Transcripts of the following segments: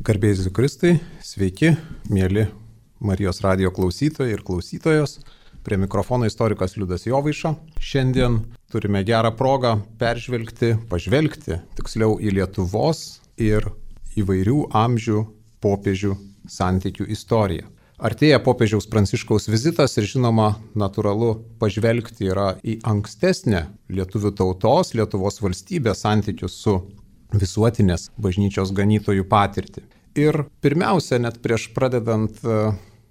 Garbėjai Jėzui Kristui, sveiki, mėly Marijos radijo klausytojai ir klausytojos. Prie mikrofono istorikas Liudas Jovaiša. Šiandien turime gerą progą pažvelgti tiksliau į Lietuvos ir įvairių amžių popiežių santykių istoriją. Artėja popiežiaus Pranciškaus vizitas ir žinoma, natūralu pažvelgti yra į ankstesnę lietuvių tautos, Lietuvos valstybės santykius su visuotinės bažnyčios ganytojų patirtį. Ir pirmiausia, net prieš pradedant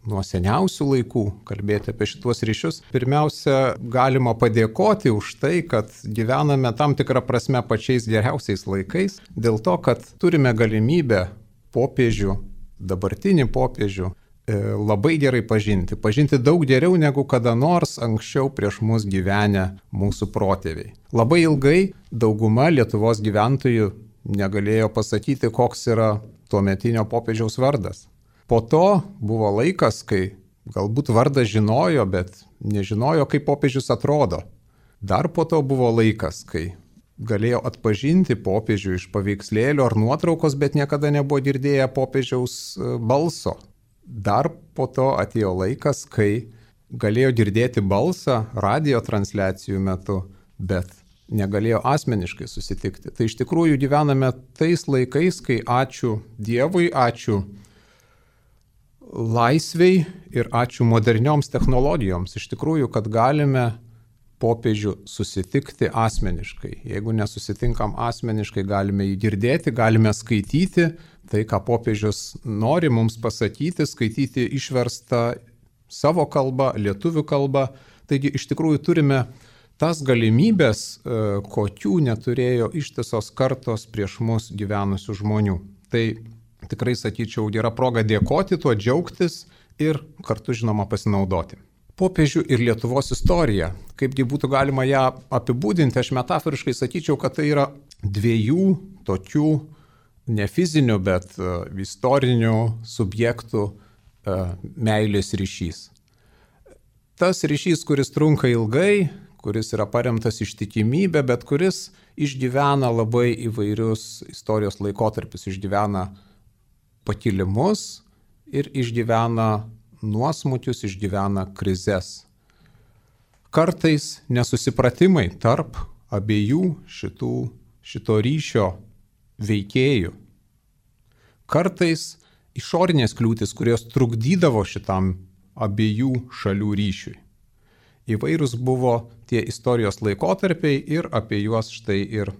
nuo seniausių laikų kalbėti apie šituos ryšius, pirmiausia, galima padėkoti už tai, kad gyvename tam tikrą prasme pačiais geriausiais laikais, dėl to, kad turime galimybę popiežių, dabartinį popiežių, labai gerai pažinti daug geriau negu kada nors anksčiau prieš mus gyvenę mūsų protėviai. Labai ilgai dauguma Lietuvos gyventojų negalėjo pasakyti, koks yra tuometinio popiežiaus vardas. Po to buvo laikas, kai galbūt vardą žinojo, bet nežinojo, kaip popiežius atrodo. Dar po to buvo laikas, kai galėjo atpažinti popiežių iš paveikslėlio ar nuotraukos, bet niekada nebuvo girdėję popiežiaus balso. Dar po to atėjo laikas, kai galėjo girdėti balsą radio transliacijų metu, bet negalėjo asmeniškai susitikti. Tai iš tikrųjų gyvename tais laikais, kai ačiū Dievui, ačiū laisvei ir ačiū modernioms technologijoms. Iš tikrųjų, kad galime popiežių susitikti asmeniškai. Jeigu nesusitinkam asmeniškai, galime jį girdėti, galime skaityti tai, ką popiežius nori mums pasakyti, skaityti išverstą savo kalbą, lietuvių kalbą. Taigi iš tikrųjų turime tas galimybės, kokių neturėjo ištisos kartos prieš mus gyvenusių žmonių. Tai tikrai, sakyčiau, gera proga dėkoti, tuo džiaugtis ir kartu, žinoma, pasinaudoti. Popiežių ir Lietuvos istorija. Kaipgi būtų galima ją apibūdinti, aš metaforiškai sakyčiau, kad tai yra dviejų tokių ne fizinių, bet istorinių subjektų meilės ryšys. Tas ryšys, kuris trunka ilgai, kuris yra paremtas ištikimybė, bet kuris išgyvena labai įvairius istorijos laikotarpius, išgyvena pakilimus ir išgyvena nuosmukius, išgyvena krizes. Kartais nesusipratimai tarp abiejų šito ryšio veikėjų. Kartais išorinės kliūtis, kurios trukdydavo šitam abiejų šalių ryšiui. Įvairūs buvo tie istorijos laikotarpiai ir apie juos štai ir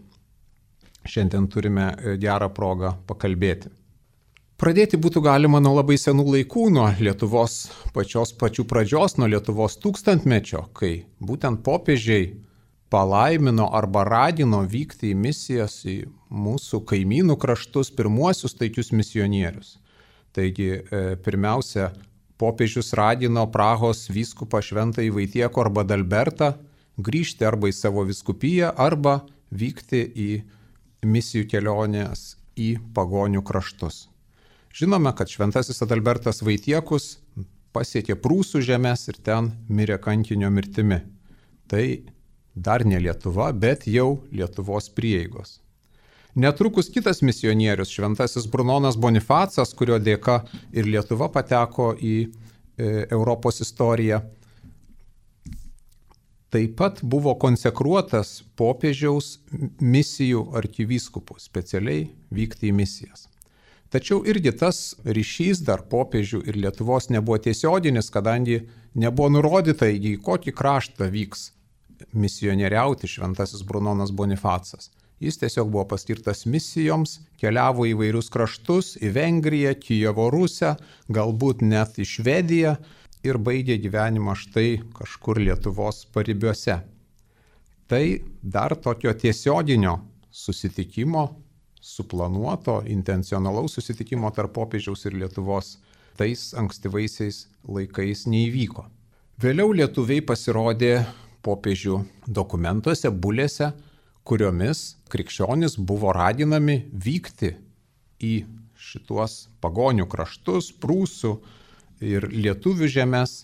šiandien turime gerą progą pakalbėti. Pradėti būtų galima nuo labai senų laikų, nuo Lietuvos pačių pradžios, nuo Lietuvos tūkstantmečio, kai būtent popiežiai palaimino arba ragino vykti į misijas į mūsų kaimynų kraštus pirmuosius taikius misionierius. Taigi pirmiausia, popiežius ragino Prahos vyskupą Šventąjį Vaitiekų arba Dalbertą grįžti arba į savo vyskupiją, arba vykti į misijų kelionės į pagonių kraštus. Žinome, kad Šventasis Adalbertas Vaitiekus pasiekė Prūsų žemes ir ten mirė kankinio mirtimi. Tai dar ne Lietuva, bet jau Lietuvos prieigos. Netrukus kitas misionierius, Šventasis Brunonas Bonifacas, kurio dėka ir Lietuva pateko į Europos istoriją, taip pat buvo konsekruotas popiežiaus misijų arkivyskupų, specialiai vykti į misijas. Tačiau irgi tas ryšys dar popiežių ir Lietuvos nebuvo tiesioginis, kadangi nebuvo nurodyta, į kokį kraštą vyks misionieriauti Šventasis Brunonas Bonifacas. Jis tiesiog buvo paskirtas misijoms, keliavo į vairius kraštus, į Vengriją, Kijevo Rusią, galbūt net į Švediją ir baigė gyvenimą štai kažkur Lietuvos paribiuose. Tai dar tokio tiesioginio susitikimo, suplanuoto, intencionalaus susitikimo tarp popiežiaus ir Lietuvos tais ankstyvaisiais laikais neįvyko. Vėliau lietuviai pasirodė popiežių dokumentuose, bulėse, kuriomis krikščionys buvo raginami vykti į šituos pagonių kraštus, prūsų ir lietuvių žemes,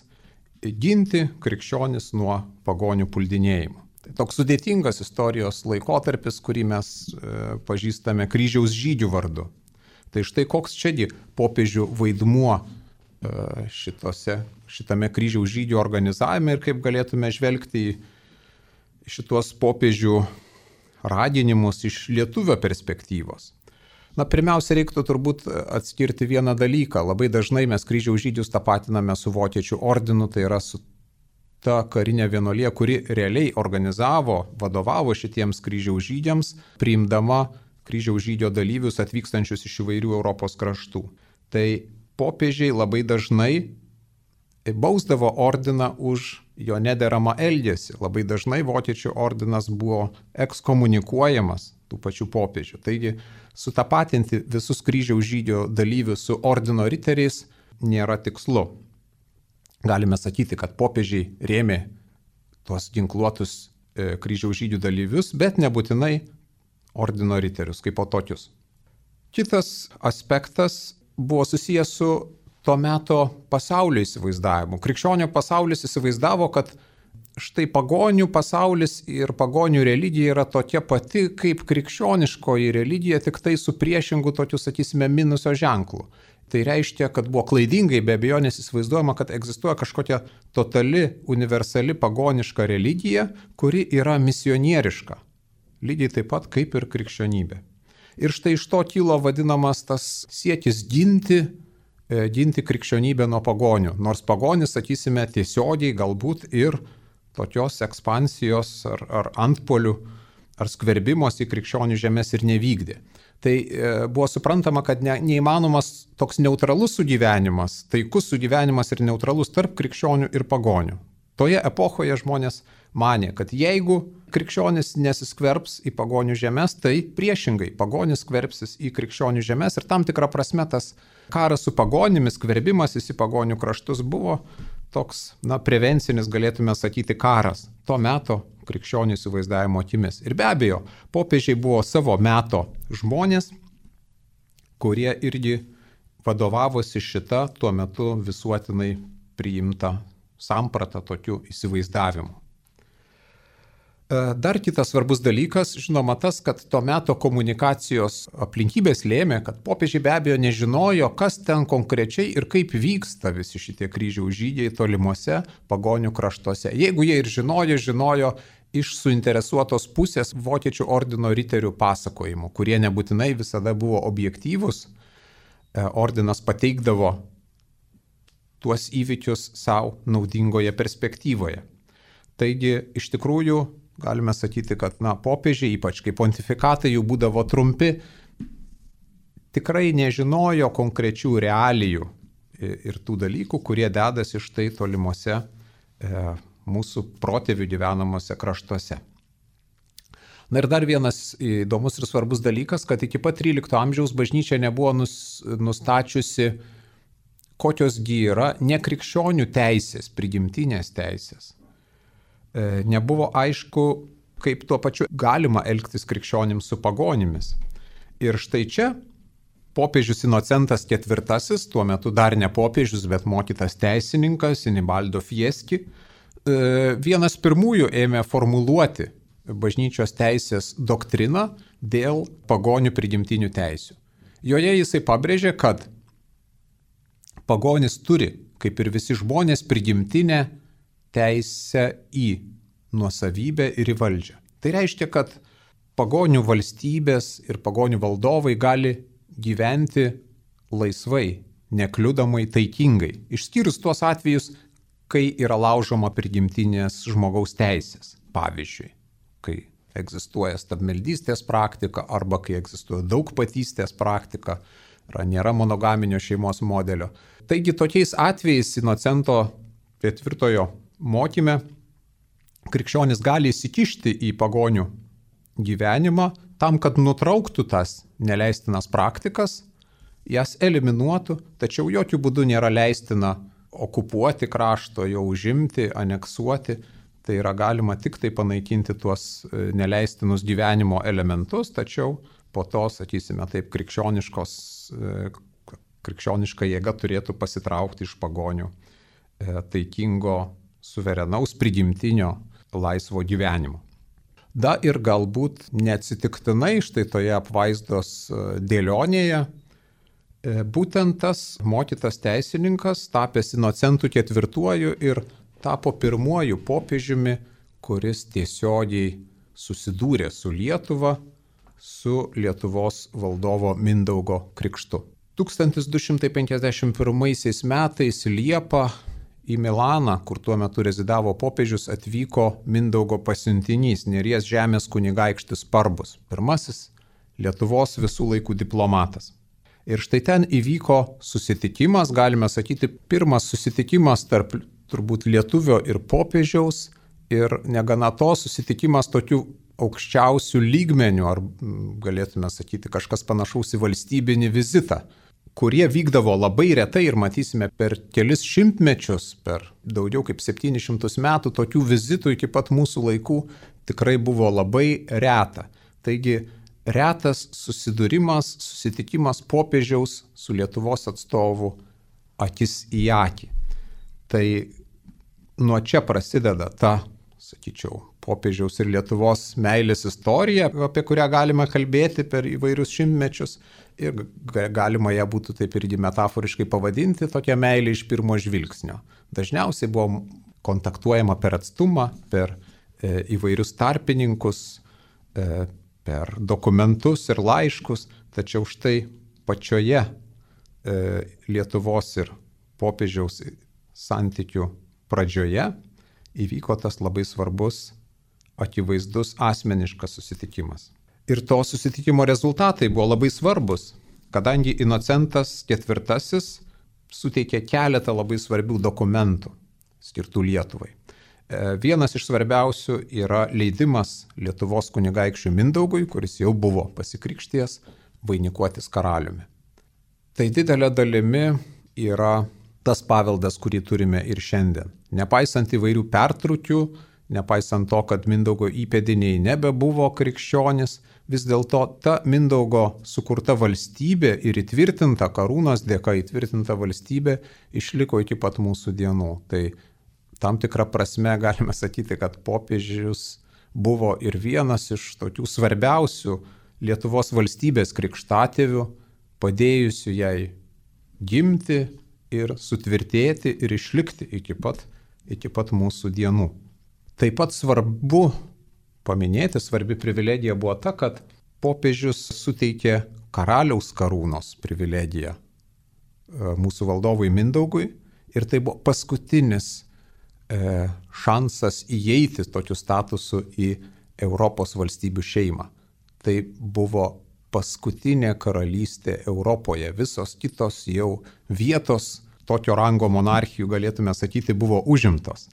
ginti krikščionys nuo pagonių puldinėjimo. Tai toks sudėtingas istorijos laikotarpis, kurį mes pažįstame kryžiaus žygių vardu. Tai štai koks čiagi popiežių vaidmuo šitame kryžiaus žygių organizavime ir kaip galėtume žvelgti į šitos popiežių raginimus iš lietuvio perspektyvos. Pirmiausia, reiktų turbūt atskirti vieną dalyką. Labai dažnai mes kryžiaus žygius tapatiname su vokiečių ordinu, tai yra su ta karinė vienuolija, kuri realiai organizavo, vadovavo šitiems kryžiaus žygiams, priimdama kryžiaus žygio dalyvius atvykstančius iš įvairių Europos kraštų. Tai popiežiai labai dažnai bausdavo ordiną už jo nederamą elgesį. Labai dažnai vokiečių ordinas buvo ekskomunikuojamas tų pačių popiežių. Taigi sutapatinti visus kryžiaus žygio dalyvius su ordino riteriais nėra tikslu. Galime sakyti, kad popiežiai rėmė tuos ginkluotus kryžiaus žygių dalyvius, bet nebūtinai ordino riterius kaip po tokius. Kitas aspektas buvo susijęs su to meto pasaulio įsivaizdavimu. Krikščionių pasaulis įsivaizdavo, kad štai pagonių pasaulis ir pagonių religija yra tokia pati kaip krikščioniškoji religija, tik tai su priešingu tokiu, sakysime, minuso ženklu. Tai reiškia, kad buvo klaidingai be abejonės įsivaizduojama, kad egzistuoja kažkokia totali, universali pagoniška religija, kuri yra misionieriška. Lygiai taip pat kaip ir krikščionybė. Ir štai iš to kilo vadinamas tas siekis ginti krikščionybę nuo pagonių. Nors pagonis, sakysime, tiesiogiai galbūt ir tokios ekspansijos ar antpolių ar skverbimos į krikščionių žemės ir nevykdė. Tai buvo suprantama, kad neįmanomas toks neutralus sugyvenimas, taikus sugyvenimas ir neutralus tarp krikščionių ir pagonių. Toje epochoje žmonės manė, kad jeigu krikščionis nesiskverbs į pagonių žemės, tai priešingai pagonis skverbsis į krikščionių žemės ir tam tikrą prasme tas karas su pagonimis, skverbimasis į pagonių kraštus buvo toks, prevencinis, galėtume sakyti, karas to meto krikščionių įsivaizdavimo akimis. Ir be abejo, popiežiai buvo savo meto žmonės, kurie irgi vadovavosi šitą tuo metu visuotinai priimtą sampratą tokiu įsivaizdavimu. Dar kitas svarbus dalykas, žinoma, tas, kad to meto komunikacijos aplinkybės lėmė, kad popiežiai be abejo nežinojo, kas ten konkrečiai ir kaip vyksta visi šitie kryžiaus žygiai tolimuose pagonių kraštuose. Jeigu jie ir žinojo iš suinteresuotos pusės vokiečių ordino riterių pasakojimų, kurie nebūtinai visada buvo objektyvūs, ordinas pateikdavo tuos įvykius savo naudingoje perspektyvoje. Taigi, iš tikrųjų, galime sakyti, kad popiežiai, ypač kai pontifikatai jų būdavo trumpi, tikrai nežinojo konkrečių realijų ir tų dalykų, kurie dedasi štai tolimuose mūsų protėvių gyvenamuose kraštuose. Ir dar vienas įdomus ir svarbus dalykas, kad iki pat 13 amžiaus bažnyčia nebuvo nustačiusi, kokiosgi yra nekrikščionių teisės, prigimtinės teisės. Nebuvo aišku, kaip tuo pačiu galima elgtis krikščionims su pagonimis. Ir štai čia popiežius Inocentas IV, tuo metu dar ne popiežius, bet mokytas teisininkas Inibaldo Fieschi, vienas pirmųjų ėmė formuluoti bažnyčios teisės doktriną dėl pagonių prigimtinių teisių. Joje jisai pabrėžė, kad pagonis turi, kaip ir visi žmonės, prigimtinę teisę į nuosavybę ir į valdžią. Tai reiškia, kad pagonių valstybės ir pagonių valdovai gali gyventi laisvai, nekliudomai, taikingai, išskyrus tuos atvejus, kai yra laužoma prigimtinės žmogaus teisės. Pavyzdžiui, kai egzistuoja stabmeldystės praktika arba kai egzistuoja daugpatystės praktika, nėra monogaminio šeimos modelio. Taigi tokiais atvejais Inocento IV mokyme krikščionis gali įsikišti į pagonių gyvenimą tam, kad nutrauktų tas neleistinas praktikas, jas eliminuotų, tačiau jokių būdų nėra leistina okupuoti krašto, jo užimti, aneksuoti. Tai yra galima tik tai panaikinti tuos neleistinus gyvenimo elementus, tačiau po to, sakysime taip, krikščioniška jėga turėtų pasitraukti iš pagonių taikingo, suverenaus, prigimtinio, laisvo gyvenimo. Ir galbūt neatsitiktinai štai toje apvaizdos dėlionėje Būtent tas mokytas teisininkas, tapęs Inocentu IV ir tapo pirmuoju popiežiumi, kuris tiesiogiai susidūrė su Lietuva, su Lietuvos valdovo Mindaugo krikštu. 1251 metais Liepą į Milaną, kur tuo metu rezidavo popiežius, atvyko Mindaugo pasiuntinys, Neries žemės kunigaikštis Parbus, pirmasis Lietuvos visų laikų diplomatas. Ir štai ten įvyko susitikimas, galime sakyti, pirmas susitikimas tarp turbūt lietuvio ir popiežiaus, ir negana to susitikimas tokių aukščiausių lygmenių, ar galėtume sakyti kažkas panašaus į valstybinį vizitą, kurie vykdavo labai retai ir matysime per kelis šimtmečius, per daugiau kaip 700 metų, tokių vizitų iki pat mūsų laikų tikrai buvo labai reta. Taigi retas susidūrimas, susitikimas popiežiaus su Lietuvos atstovu akis į akį. Tai nuo čia prasideda ta, sakyčiau, popiežiaus ir Lietuvos meilės istorija, apie kurią galima kalbėti per įvairius šimtmečius, ir galima ją būtų taip irgi metaforiškai pavadinti tokia meilė iš pirmo žvilgsnio. Dažniausiai buvo kontaktuojama per atstumą, per įvairius tarpininkus, per dokumentus ir laiškus, tačiau štai pačioje Lietuvos ir popiežiaus santykių pradžioje įvyko tas labai svarbus, akivaizdus asmeniškas susitikimas. Ir to susitikimo rezultatai buvo labai svarbus, kadangi Inocentas IV suteikė keletą labai svarbių dokumentų skirtų Lietuvai. Vienas iš svarbiausių yra leidimas Lietuvos kunigaikščiui Mindaugui, kuris jau buvo pasikrikštijęs, vainikuotis karaliumi. Tai didelė dalimi yra tas paveldas, kurį turime ir šiandien. Nepaisant įvairių pertrūkių, nepaisant to, kad Mindaugo įpėdiniai nebebuvo krikščionis, vis dėlto ta Mindaugo sukurta valstybė ir įtvirtinta, karūnos dėka įtvirtinta valstybė išliko iki pat mūsų dienų. Tai tam tikrą prasme galime sakyti, kad popiežius buvo ir vienas iš tokių svarbiausių Lietuvos valstybės krikštatėvių, padėjusių jai gimti ir sutvirtėti ir išlikti iki pat mūsų dienų. Taip pat svarbu paminėti, svarbi privilegija buvo ta, kad popiežius suteikė karaliaus karūnos privilegiją mūsų valdovui Mindaugui, ir tai buvo paskutinis šansas įeiti tokiu statusu į Europos valstybių šeimą. Tai buvo paskutinė karalystė Europoje. Visos kitos jau vietos tokio rango monarchijų, galėtume sakyti, buvo užimtos.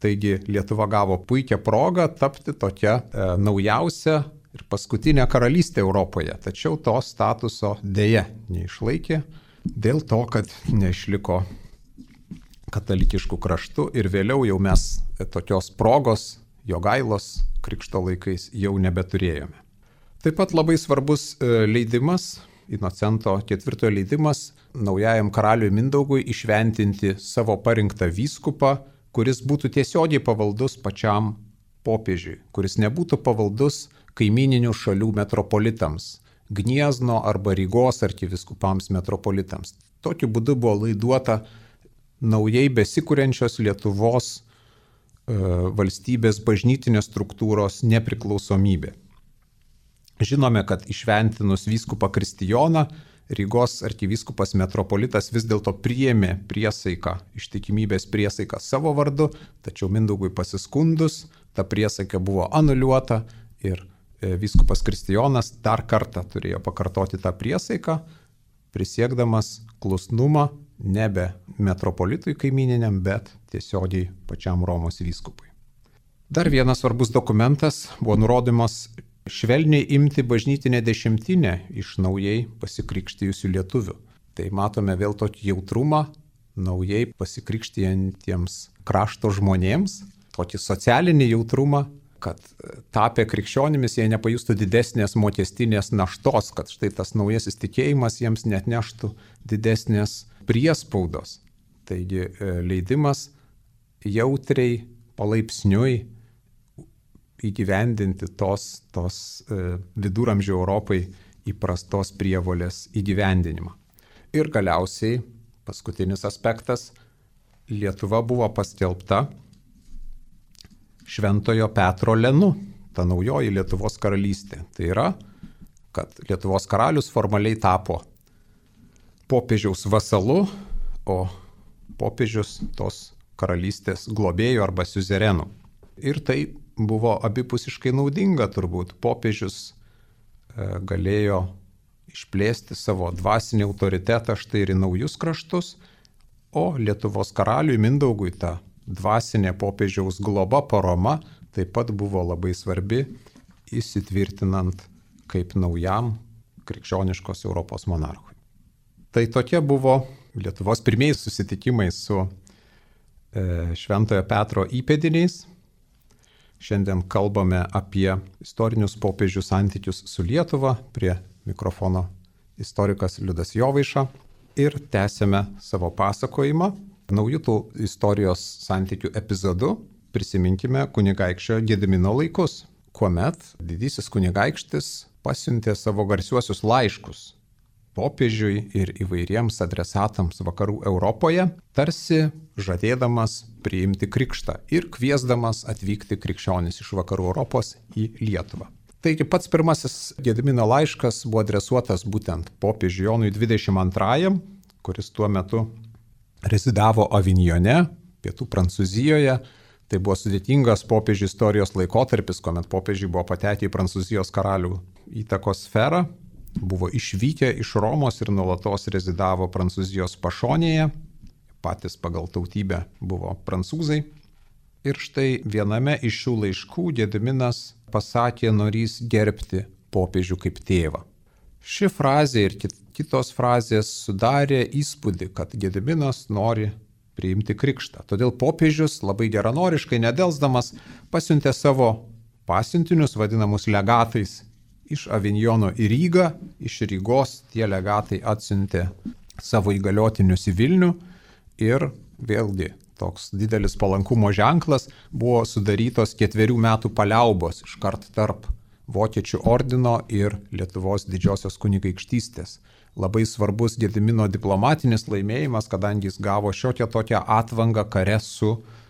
Taigi Lietuva gavo puikią progą tapti tokia naujausia ir paskutinė karalystė Europoje. Tačiau to statuso dėja neišlaikė dėl to, kad neišliko katalikiškų kraštų, ir vėliau jau mes tokios progos Jogailos krikšto laikais jau nebeturėjome. Taip pat labai svarbus leidimas, Inocento IV leidimas naujajam karaliui Mindaugui išventinti savo parinktą vyskupą, kuris būtų tiesiogiai pavaldus pačiam popiežiui, kuris nebūtų pavaldus kaimininių šalių metropolitams, Gniezno arba Rygos arkivyskupams metropolitams. Tokiu būdu buvo laiduota naujai besikuriančios Lietuvos valstybės bažnytinės struktūros nepriklausomybė. Žinome, kad išventinus vyskupą Kristijoną, Rygos arkivyskupas metropolitas vis dėlto priėmė priesaiką, ištikimybės priesaiką savo vardu, tačiau Mindaugui pasiskundus, ta priesaika buvo anuliuota ir vyskupas Kristijonas dar kartą turėjo pakartoti tą priesaiką, prisiekdamas klusnumą nebe metropolitui kaimininiam, bet tiesiogiai pačiam Romos vyskupui. Dar vienas svarbus dokumentas buvo nurodymas švelniai imti bažnytinę dešimtinę iš naujai pasikrikštijusių lietuvių. Tai matome vėl tokį jautrumą naujai pasikrikštijantiems krašto žmonėms, tokį socialinį jautrumą, kad tapę krikščionimis jie nepajustų didesnės mokestinės naštos, kad štai tas naujasis tikėjimas jiems net neštų didesnės priespaudos. Taigi leidimas jautriai, palaipsniui įgyvendinti tos viduramžių Europai įprastos prievolės įgyvendinimą. Ir galiausiai paskutinis aspektas - Lietuva buvo paskelbta Šventojo Petro Lenu, ta naujoji Lietuvos karalystė. Tai yra, kad Lietuvos karalius formaliai tapo popiežiaus vasalu, o popiežius tos karalystės globėjų arba siuzerenu. Ir tai buvo abipusiškai naudinga turbūt. Popiežius galėjo išplėsti savo dvasinį autoritetą štai ir į naujus kraštus, o Lietuvos karaliui Mindaugui ta dvasinė popiežiaus globa, parama taip pat buvo labai svarbi, įsitvirtinant kaip naujam krikščioniškos Europos monarchui. Tai tokie buvo Lietuvos pirmieji susitikimai su Šventojo Petro įpėdiniais. Šiandien kalbame apie istorinius popiežių santykius su Lietuva. Prie mikrofono istorikas Liudas Jovaiša. Ir tęsėme savo pasakojimą. Naujų tų istorijos santykių epizodų prisiminkime kunigaikščio Gedimino laikus, kuomet didysis kunigaikštis pasiuntė savo garsiuosius laiškus popiežiui ir įvairiems adresatams vakarų Europoje, tarsi žadėdamas priimti krikštą ir kviesdamas atvykti krikščionis iš vakarų Europos į Lietuvą. Taigi pats pirmasis Gedimino laiškas buvo adresuotas būtent popiežiui Jonui 22, kuris tuo metu rezidavo Avignone, pietų Prancūzijoje. Tai buvo sudėtingas popiežių istorijos laikotarpis, kuomet popiežiai buvo patekę į Prancūzijos karalių įtakos sferą, buvo išvykę iš Romos ir nuolatos rezidavo Prancūzijos pašonėje, patys pagal tautybę buvo prancūzai. Ir štai viename iš šių laiškų Gediminas pasakė norys gerbti popiežių kaip tėvą. Ši frazė ir kitos frazės sudarė įspūdį, kad Gediminas nori priimti krikštą. Todėl popiežius labai geranoriškai, nedelsdamas, pasiuntė savo pasiuntinius, vadinamus legatais, iš Avignono į Rygą. Iš Rygos tie legatai atsiuntė savo įgaliotinius į Vilnių ir vėlgi toks didelis palankumo ženklas, buvo sudarytos 4 metų paliaubos iškart tarp Vokiečių ordino ir Lietuvos didžiosios kunigaikštystės. Labai svarbus Gedimino diplomatinis laimėjimas, kadangi jis gavo šiokią tokią atvangą kare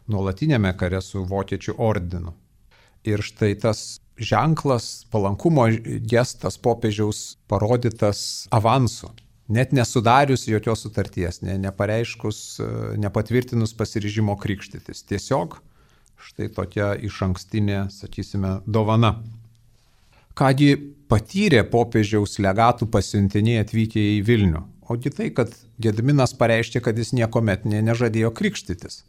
nuolatinėme kare su Vokiečių ordinu. Ir štai tas ženklas, palankumo gestas popiežiaus parodytas avansu, net nesudarius jokios sutarties, nepareiškus, nepatvirtinus pasiryžimo krikštytis. Tiesiog štai tokia išankstinė, sakysime, dovana. Kągi patyrė popiežiaus legatų pasiuntiniai atvykę į Vilnių? Ogi tai, kad Gediminas pareiškė, kad jis niekuomet nežadėjo krikštytis.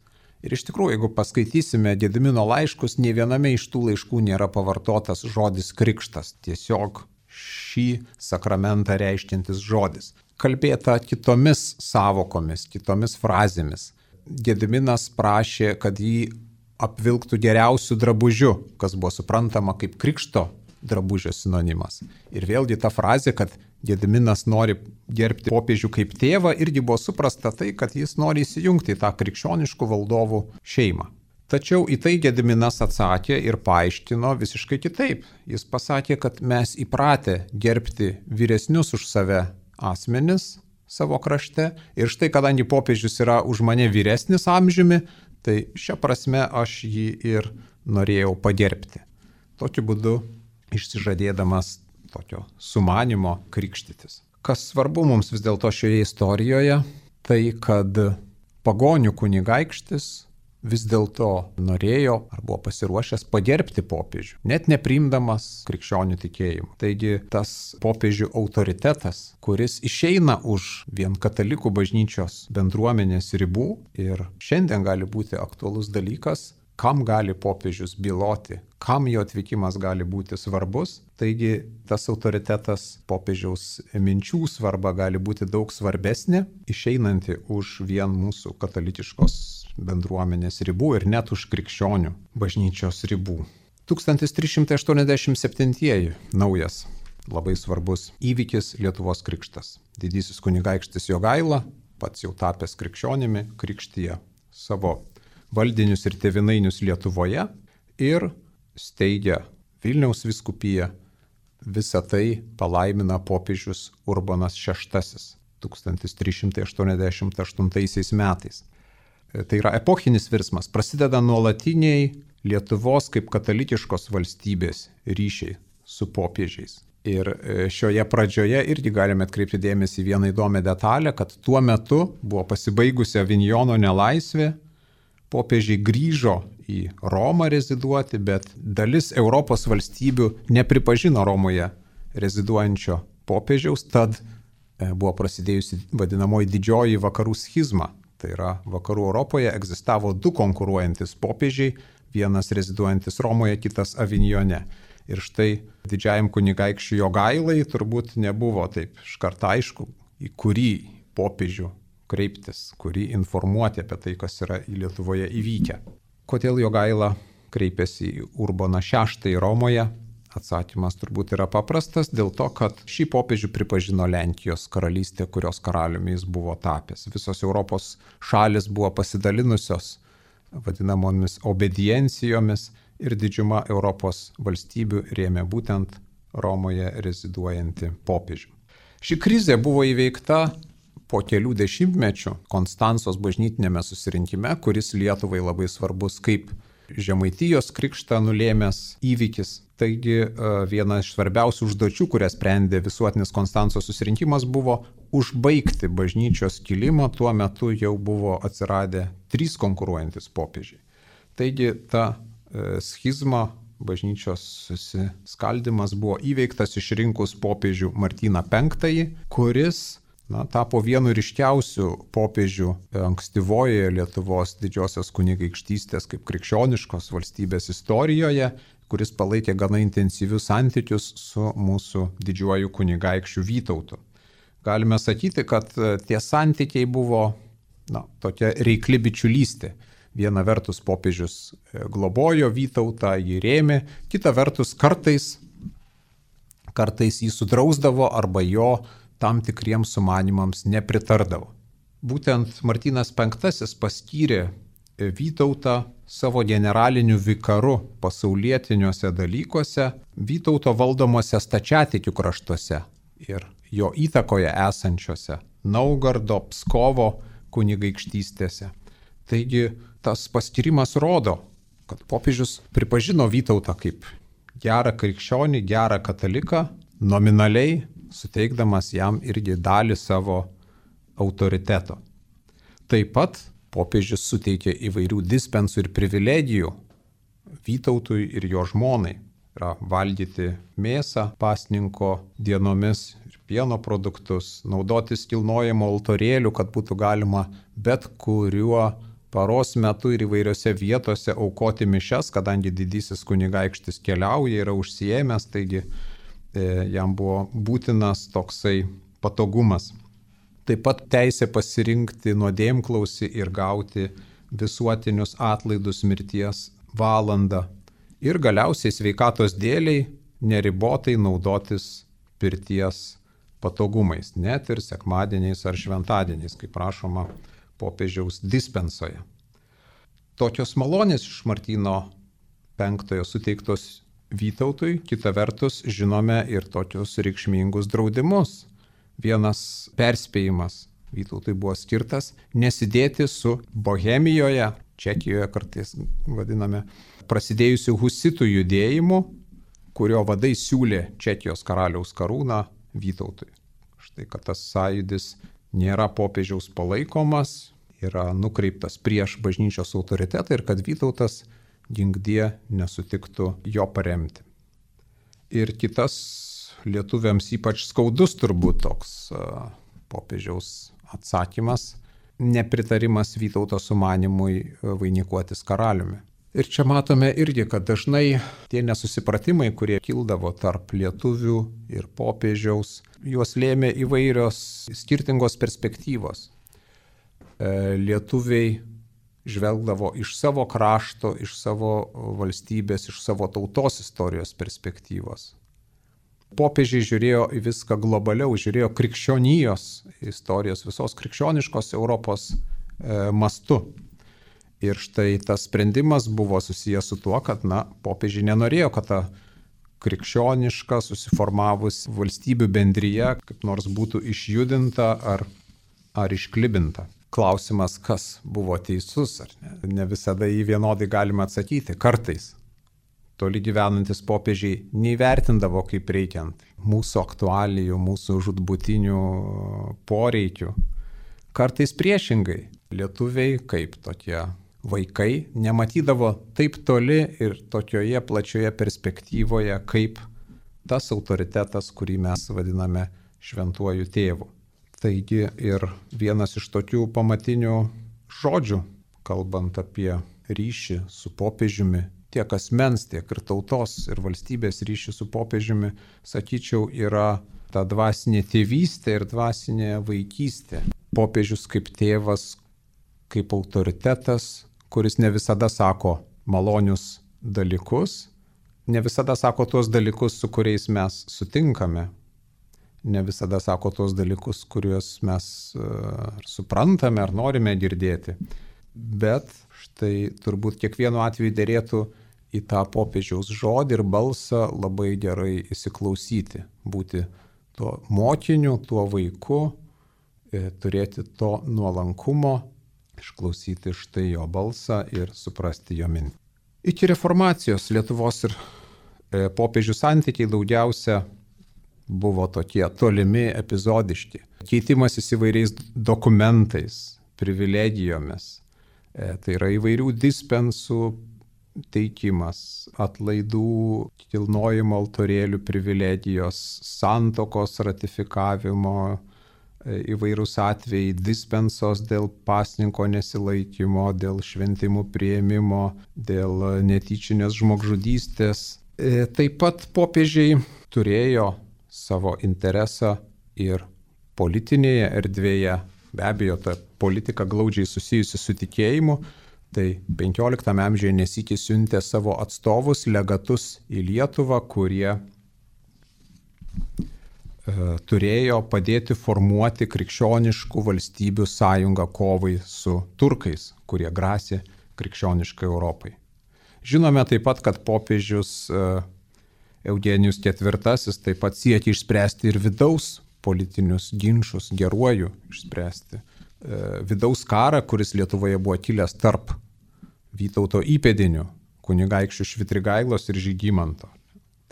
Ir iš tikrųjų, jeigu paskaitysime Gedimino laiškus, nei viename iš tų laiškų nėra pavartotas žodis krikštas. Tiesiog šį sakramentą reiškiantis žodis. Kalbėta kitomis savokomis, kitomis frazėmis. Gediminas prašė, kad jį apvilktų geriausių drabužių, kas buvo suprantama kaip krikšto drabužio sinonimas. Ir vėlgi ta frazė, kad Gediminas nori gerbti popiežių kaip tėvą, irgi buvo suprasta tai, kad jis nori įsijungti į tą krikščioniškų valdovų šeimą. Tačiau į tai Gediminas atsakė ir paaiškino visiškai kitaip. Jis pasakė, kad mes įpratę gerbti vyresnius už save asmenis savo krašte ir štai kadangi popiežius yra už mane vyresnis amžiumi, tai šia prasme aš jį ir norėjau pagerbti. Tokiu būdu išsižadėdamas tokio sumanimo krikštytis. Kas svarbu mums vis dėlto šioje istorijoje, tai kad pagonių kunigaikštis vis dėlto norėjo ar buvo pasiruošęs pagerbti popiežių, net nepriimdamas krikščionių tikėjimą. Taigi tas popiežių autoritetas, kuris išeina už vien katalikų bažnyčios bendruomenės ribų ir šiandien gali būti aktualus dalykas, kam gali popiežius byloti, kam jo atvykimas gali būti svarbus. Taigi tas autoritetas, popiežiaus minčių svarba gali būti daug svarbesnė, išeinanti už vien mūsų katalikiškos bendruomenės ribų ir net už krikščionių bažnyčios ribų. 1387 naujas labai svarbus įvykis Lietuvos krikštas. Didysis kunigaikštis Jogaila, pats jau tapęs krikščionimi, krikštija savo valdinius ir tėvynainius Lietuvoje ir steigia Vilniaus vyskupiją. Visą tai palaimina popiežius Urbonas VI 1388 metais. Tai yra epochinis virsmas, prasideda nuolatiniai Lietuvos kaip katalikiškos valstybės ryšiai su popiežiais. Ir šioje pradžioje irgi galime atkreipti dėmesį į vieną įdomią detalę, kad tuo metu buvo pasibaigusi Avinjono nelaisvė, popiežiai grįžo į Romą reziduoti, bet dalis Europos valstybių nepripažino Romoje reziduojančio popiežiaus, tad buvo prasidėjusi vadinamoji didžioji vakarų schizma. Tai yra, vakarų Europoje egzistavo du konkuruojantis popiežiai, vienas reziduojantis Romoje, kitas Avinjone. Ir štai didžiajam kunigaikščiui Jogailai turbūt nebuvo taip iškart aišku, į kurį popiežių kreiptis, kurį informuoti apie tai, kas yra Lietuvoje įvykę. Kodėl Jogaila kreipėsi į Urboną VI Romoje? Atsakymas turbūt yra paprastas, dėl to, kad šį popiežių pripažino Lenkijos karalystė, kurios karaliumi jis buvo tapęs. Visos Europos šalis buvo pasidalinusios vadinamomis obediencijomis ir didžiuma Europos valstybių rėmė būtent Romoje reziduojantį popiežių. Ši krizė buvo įveikta po kelių dešimtmečių Konstancos bažnytinėme susirinkime, kuris Lietuvai labai svarbus kaip Žemaitijos krikštą nulėmęs įvykis. Taigi viena iš svarbiausių užduočių, kurią sprendė visuotinis Konstancos susirinkimas, buvo užbaigti bažnyčios kilimą. Tuo metu jau buvo atsiradę 3 konkuruojantis popiežiai. Taigi ta schizma, bažnyčios susiskaldimas buvo įveiktas išrinkus popiežių Martyną V, kuris tapo vienu ryškiausių popiežių ankstyvojoje Lietuvos didžiosios kunigaikštystės kaip krikščioniškos valstybės istorijoje, kuris palaikė gana intensyvius santykius su mūsų didžiuoju kunigaikščiu Vytautu. Galime sakyti, kad tie santykiai buvo tokia reikli bičiulystė. Viena vertus popiežius globojo Vytautą, jį rėmė, kita vertus kartais jį sudrausdavo arba jo tam tikriems sumanimams nepritardavo. Būtent Martynas V paskyrė Vytautą savo generaliniu vikaru pasaulietiniuose dalykuose, Vytauto valdomose stačiatikių kraštuose ir jo įtakoje esančiose Naugardo, Pskovo kunigaikštystėse. Taigi tas paskyrimas rodo, kad popiežius pripažino Vytautą kaip gerą krikščionį, gerą kataliką, nominaliai suteikdamas jam irgi dalį savo autoriteto. Taip pat popiežius suteikė įvairių dispensų ir privilegijų Vytautui ir jo žmonai. Yra valgyti mėsą pasninko dienomis ir pieno produktus, naudotis kilnojimo altorėlių, kad būtų galima bet kuriuo paros metu ir įvairiose vietose aukoti mišias, kadangi didysis kunigaikštis keliauja, yra užsiėmęs, taigi jam buvo būtinas toksai patogumas. Taip pat teisė pasirinkti nuodėmklausį ir gauti visuotinius atlaidus mirties valandą. Ir galiausiai sveikatos dėliai neribotai naudotis pirties patogumais, net ir sekmadieniais ar šventadieniais, kaip prašoma popiežiaus dispensoje. Tokios malonės iš Martyno V suteiktos Vytautui, kita vertus žinome ir tokius reikšmingus draudimus. Vienas perspėjimas Vytautui buvo skirtas nesidėti su Bohemijoje, Čekijoje kartais vadiname, prasidėjusių husitų judėjimu, kurio vadai siūlė Čekijos karaliaus karūną Vytautui. Štai, kad tas sąjūdis nėra popiežiaus palaikomas, yra nukreiptas prieš bažnyčios autoritetą ir kad Vytautas ginkdie nesutiktų jo paremti. Ir kitas lietuviams ypač skaudus turbūt toks popiežiaus atsakymas - nepritarimas Vytauto sumanimui vainikuotis karaliumi. Ir čia matome irgi, kad dažnai tie nesusipratimai, kurie kildavo tarp lietuvių ir popiežiaus, juos lėmė įvairios skirtingos perspektyvos. Lietuviai žvelgdavo iš savo krašto, iš savo valstybės, iš savo tautos istorijos perspektyvos. Popiežiai žiūrėjo į viską globaliau, žiūrėjo krikščionijos istorijos, visos krikščioniškos Europos mastu. Ir štai tas sprendimas buvo susijęs su tuo, kad popiežiai nenorėjo, kad ta krikščioniška, susiformavus valstybių bendryje, kaip nors būtų išjudinta ar išklibinta. Klausimas, kas buvo teisus ar ne. Ne visada jį vienodai galima atsakyti. Kartais toli gyvenantis popiežiai neįvertindavo kaip reikiant mūsų aktualijų, mūsų žūtbūtinių poreikių. Kartais priešingai. Lietuviai, kaip tokie vaikai, nematydavo taip toli ir tokioje plačioje perspektyvoje, kaip tas autoritetas, kurį mes vadiname šventuoju tėvu. Taigi ir vienas iš tokių pamatinių žodžių, kalbant apie ryšį su popiežiumi, tiek asmens, tiek ir tautos ir valstybės ryšį su popiežiumi, sakyčiau, yra ta dvasinė tėvystė ir dvasinė vaikystė. Popiežius kaip tėvas, kaip autoritetas, kuris ne visada sako malonius dalykus, ne visada sako tuos dalykus, su kuriais mes sutinkame, ne visada sako tuos dalykus, kuriuos mes suprantame ar norime girdėti. Bet štai turbūt kiekvienu atveju dėrėtų į tą popiežiaus žodį ir balsą labai gerai įsiklausyti, būti tuo mokiniu, tuo vaiku, turėti to nuolankumo, išklausyti štai jo balsą ir suprasti jo mintį. Iki reformacijos Lietuvos ir popiežių santykiai daugiausia buvo tokie tolimi, epizodiški. Keitimasis įvairiais dokumentais, privilegijomis. Tai yra įvairių dispensų teikimas, atlaidų, kilnojimo altorėlių privilegijos, santuokos ratifikavimo, įvairūs atvejai, dispensos dėl pasninko nesilaikymo, dėl šventimų priėmimo, dėl netyčinės žmogžudystės. Taip pat popiežiai turėjo savo interesą ir politinėje erdvėje. Be abejo, ta politika glaudžiai susijusi su tikėjimu. Tai 15 amžiuje nesykį siuntė savo atstovus, legatus į Lietuvą, kurie turėjo padėti formuoti krikščioniškų valstybių sąjungą kovai su turkais, kurie grasė krikščioniškai Europai. Žinome taip pat, kad popiežius Eugenijus IV taip pat siekė išspręsti ir vidaus politinius ginčus, geruoju išspręsti. Vidaus karą, kuris Lietuvoje buvo kilęs tarp Vytauto įpėdinių, kunigaikščių Švitrigailos ir Žygimanto.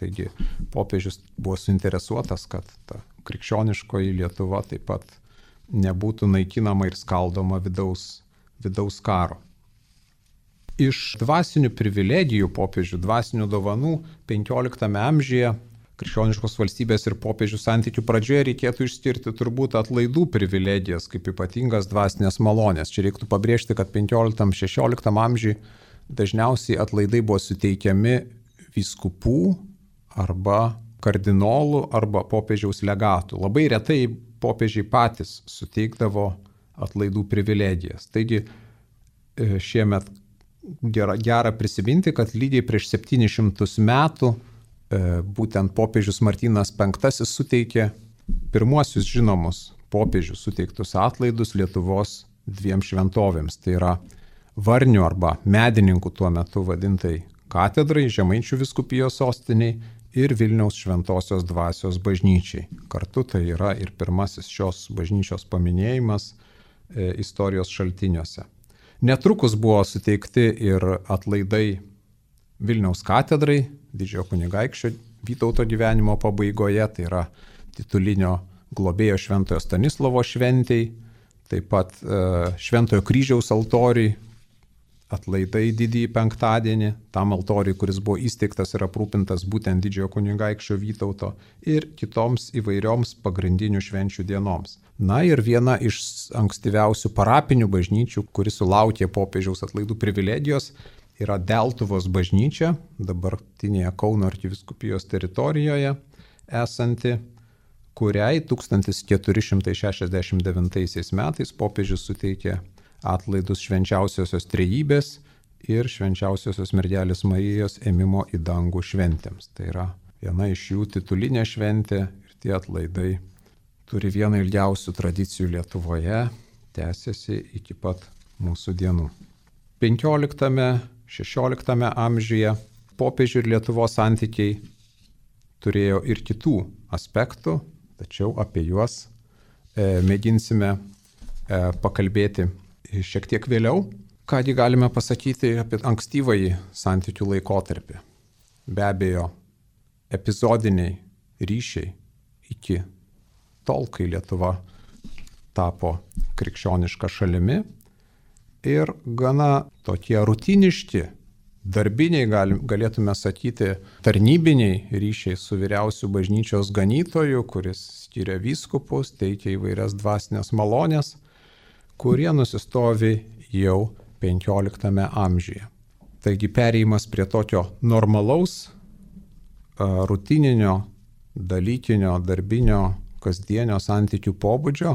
Taigi popiežius buvo suinteresuotas, kad ta krikščioniškoji Lietuva taip pat nebūtų naikinama ir skaldoma vidaus karo. Iš dvasinių privilegijų popiežių, dvasinių dovanų 15 amžiuje krikščioniškos valstybės ir popiežių santykių pradžioje reikėtų išskirti turbūt atlaidų privilegijas kaip ypatingas dvasinės malonės. Čia reiktų pabrėžti, kad 15-16 amžiuje dažniausiai atlaidai buvo suteikiami vyskupų arba kardinolų arba popiežiaus legatų. Labai retai popiežiai patys suteikdavo atlaidų privilegijas. Taigi šiemet gera prisiminti, kad lygiai prieš 700 metų būtent popiežius Martynas V suteikė pirmuosius žinomus popiežių suteiktus atlaidus Lietuvos dviem šventovėms. Tai yra Varnių arba Medininkų tuo metu vadintai katedrai, Žemaičių vyskupijos sostiniai ir Vilniaus šventosios dvasios bažnyčiai. Kartu tai yra ir pirmasis šios bažnyčios paminėjimas istorijos šaltiniuose. Netrukus buvo suteikti ir atlaidai Vilniaus katedrai, didžiojo kunigaikščio Vytauto gyvenimo pabaigoje, tai yra titulinio globėjo Šventojo Stanislovo šventei, taip pat Šventojo kryžiaus altoriui, atlaidai didįjį penktadienį, tam altoriui, kuris buvo įsteigtas ir aprūpintas būtent didžiojo kunigaikščio Vytauto ir kitoms įvairioms pagrindinių švenčių dienoms. Na ir viena iš ankstyviausių parapinių bažnyčių, kuri sulaukė popiežiaus atlaidų privilegijos, yra Deltuvos bažnyčia, dabartinėje Kauno arkivyskupijos teritorijoje esanti, kuriai 1469 metais popiežius suteikė atlaidus švenčiausiosios trejybės ir švenčiausiosios mergelės Marijos ėmimo į dangų šventėms. Tai yra viena iš jų titulinė šventė ir tie atlaidai turi vieną ilgiausių tradicijų Lietuvoje, tęsiasi iki pat mūsų dienų. 15-16 amžiuje popiežių ir Lietuvos santykiai turėjo ir kitų aspektų, tačiau apie juos mėginsime pakalbėti šiek tiek vėliau. Kągi galime pasakyti apie ankstyvąjį santykių laikotarpį. Be abejo, epizodiniai ryšiai iki tol, kai Lietuva tapo krikščioniška šalimi ir gana tokie rutiniški, darbiniai, galėtume sakyti, tarnybiniai ryšiai su vyriausiu bažnyčios ganytoju, kuris skiria vyskupus, teikia įvairias dvasinės malonės, kurie nusistovi jau 15 amžiuje. Taigi perėjimas prie tokio normalaus, rutininio, dalykinio, darbinio, kasdienio santykių pobūdžio,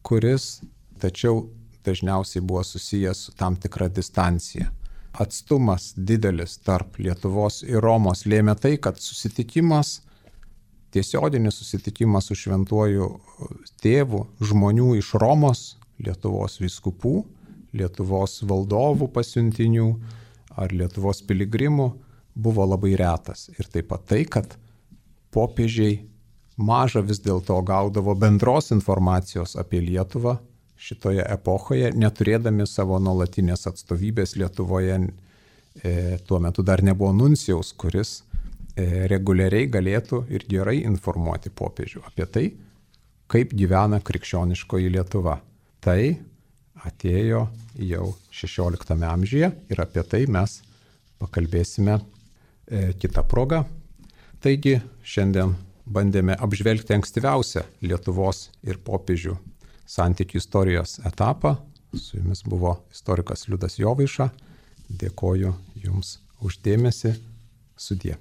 kuris tačiau dažniausiai buvo susijęs su tam tikra distancija. Atstumas didelis tarp Lietuvos ir Romos lėmė tai, kad susitikimas, tiesioginis susitikimas su šventuoju tėvu žmonių iš Romos, Lietuvos vyskupų, Lietuvos valdovų pasiuntinių ar Lietuvos piligrimų buvo labai retas. Ir taip pat tai, kad popiežiai maža vis dėlto gaudavo bendros informacijos apie Lietuvą šitoje epochoje, neturėdami savo nuolatinės atstovybės Lietuvoje. Tuo metu dar nebuvo nuncijaus, kuris reguliariai galėtų ir gerai informuoti popiežių apie tai, kaip gyvena krikščioniškoji Lietuva. Tai atėjo jau 16 amžiuje ir apie tai mes pakalbėsime kitą progą. Taigi šiandien bandėme apžvelgti ankstyviausią Lietuvos ir popiežių santykių istorijos etapą. Su jumis buvo istorikas Liudas Jovaiša. Dėkoju Jums už dėmesį. Sudie.